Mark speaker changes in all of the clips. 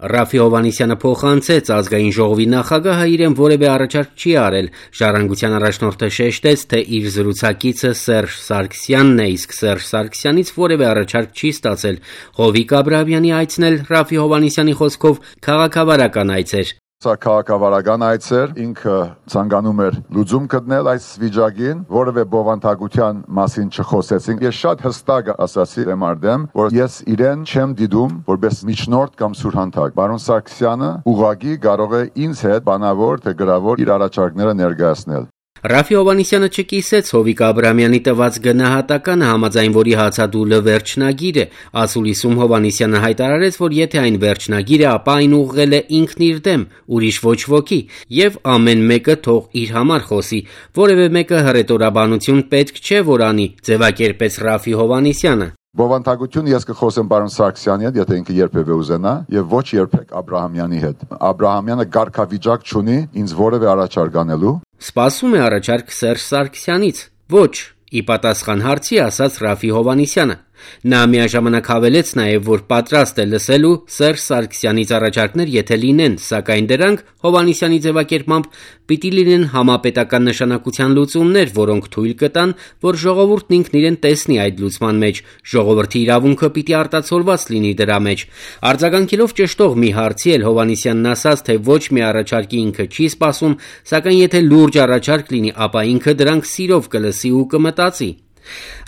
Speaker 1: Ռաֆի Հովհաննիսյանը փոխանցեց ազգային ժողովի նախագահը իրեն որևէ առաջարկ չի արել։ Ժառանգության առաջնորդը շեշտեց, թե իր զրուցակիցը Սերժ Սարգսյանն է, իսկ Սերժ Սարգսյանից որևէ առաջարկ չի ստացել։ Հովիկ Աբրահամյանի այցն էլ Ռաֆի Հովհաննիսյանի խոսքով քաղաքավարական այց էր։
Speaker 2: Սա քաղաքավարական այց էր, ինքը ցանկանում էր լուծում գտնել այս վիճակին, որևէ բովանդակության մասին չխոսեցինք։ Ես շատ հստակ ասացի դեմարդեմ, որ ես իրեն չեմ դիտում որպես միջնորդ կամ սուրհանդակ։ Պարոն Սարգսյանը ուղղակի կարող է ինձ հետ բանավոր թե գրավոր իր առաջարկները ներկայացնել։
Speaker 1: Ռաֆի Հովհաննիսյանը չկիսեց Հովիկ Աբրահամյանի տված գնահատականը, համաձայն որի հացադուլը վերջնագիր է։ Ասուլիսում Հովհաննիսյանը հայտարարեց, որ եթե այն վերջնագիր է, ապա այն ուղղել է ինքն իր դեմ, ուրիշ ոչ ոքի, եւ ամեն մեկը թող իր համար խոսի։ Որևէ մեկը հռետորաբանություն պետք չէ որ անի, ձևակերպեց Ռաֆի Հովհաննիսյանը։
Speaker 2: Բովանդակություն ես կխոսեմ պարոն Սարգսյանի հետ, եթե ինքը երբևէ ուզենա, եւ ոչ երբեք Աբրահամյանի հետ։ Աբրահամյանը կարգավիճակ չունի ինձ որևէ առաջարկ անելու։
Speaker 1: Սպասում է առաջարկ Սերժ Սարգսյանից։ Ոչ, ի պատասխան հարցի ասաց Ռաֆի Հովհաննիսյանը։ Նա միաժամանակ հավելեց նաև, որ պատրաստ է լսելու Սերժ Սարգսյանից առաջարկներ, եթե լինեն, սակայն դրանք Հովհաննիսյանի ձևակերպմամբ պիտի լինեն համապետական նշանակության լուծումներ, որոնք թույլ կտան, որ ժողովուրդն ինքն իրեն տեսնի այդ լուծման մեջ, ժողովրդի իրավունքը պիտի արտացոլված լինի դրա մեջ։ Արձագանքելով ճշտող մի հարցի էլ Հովհաննիսյանն ասաց, թե ոչ մի առաջարկի ինքը չի սպասում, սակայն եթե լուրջ առաջարկ լինի, ապա ինքը դրանք սիրով կլսի ու կմտածի։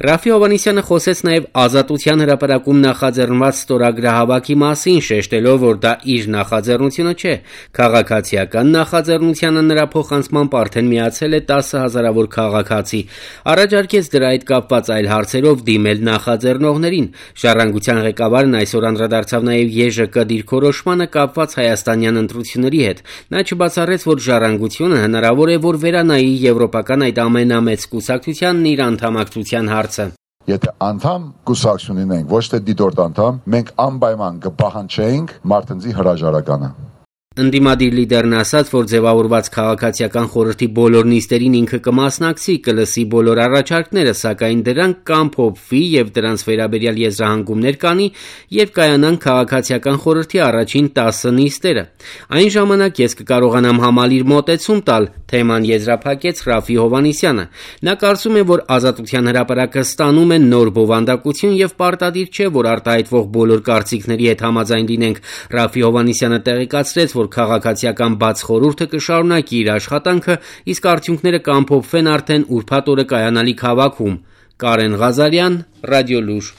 Speaker 1: Ռաֆի Հովհաննիսյանը խոսեց նաև Ազատության հրապարակում նախաձեռնված ստորագրահավաքի մասին, շեշտելով, որ դա իր նախաձեռնությունը չէ։ Քաղաքացիական նախաձեռնությանը նրա փոխանցմամբ արդեն միացել է 10,000-ավոր քաղաքացի։ Առաջարկեց դրա հետ կապված այլ հարցերով դիմել նախաձեռնողներին։ Ժառանգության ղեկավարն այսօր անդրադարձավ նաև ԵԺԿ դիրքորոշմանը կապված հայաստանյան ընտրությունների հետ։ Նա չբացառեց, որ Ժառանգությունը հնարավոր է, որ վերանայի եվրոպական այդ ամենամեծ կուսակցությանն իր անդամակցության հարցը։
Speaker 2: Եթե անդամ կուսակցություն ունենք, ոչ թե դիտորդ անդամ, մենք անպայման կպահանջենք մարդնձի հրաժարականը։
Speaker 1: Ընդդիմադիր լիդերն ասաց, որ ձևավորված քաղաքացիական խորհրդի բոլոր նիստերին ինքը կմասնակցի, կլսի բոլոր առաջարկները, սակայն դրանք կամփոփվի եւ դրանց վերաբերյալ եզրահանգումներ կանի եւ կայանան քաղաքացիական խորհրդի առաջին 10 նիստերը։ Այն ժամանակ ես կկարողանամ համալիր մոտեցում տալ, թեման եզրափակեց Ռաֆի Հովհաննիսյանը։ Նա կարծում է, որ Ազատության հրապարակը ստանում է նոր բովանդակություն եւ պարտադիր չէ, որ արտահայտվող բոլոր կարծիքների հետ համաձայն լինենք։ Ռաֆի Հովհաննիսյանը տեղեկացրեց, որ քաղաքացիական բաց խորհուրդը կշարունակի իր աշխատանքը, իսկ արդյունքները կամփոփվեն արդեն ուրբաթ օրը կայանալիք հավաքում։ Կարեն Ղազարյան, Ռադիոլուր։